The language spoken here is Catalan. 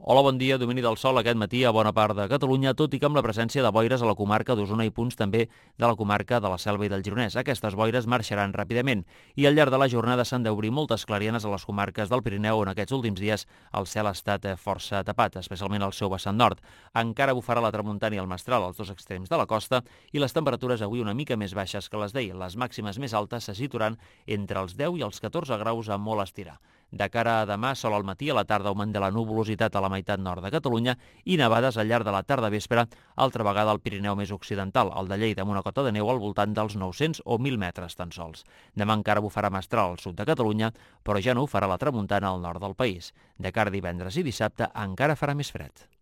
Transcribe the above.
Hola, bon dia. Domini del sol aquest matí a bona part de Catalunya, tot i que amb la presència de boires a la comarca d'Osona i punts també de la comarca de la Selva i del Gironès. Aquestes boires marxaran ràpidament i al llarg de la jornada s'han d'obrir moltes clarianes a les comarques del Pirineu, on aquests últims dies el cel ha estat força tapat, especialment al seu vessant nord. Encara bufarà la tramuntana i el mestral als dos extrems de la costa i les temperatures avui una mica més baixes que les d'ahir. Les màximes més altes se situaran entre els 10 i els 14 graus a molt estirar. De cara a demà, sol al matí, a la tarda augment de la nuvolositat a la meitat nord de Catalunya i nevades al llarg de la tarda vespre, altra vegada al Pirineu més occidental, el de Lleida, amb una cota de neu al voltant dels 900 o 1.000 metres tan sols. Demà encara bufarà mestral al sud de Catalunya, però ja no ho farà la tramuntana al nord del país. De cara a divendres i dissabte encara farà més fred.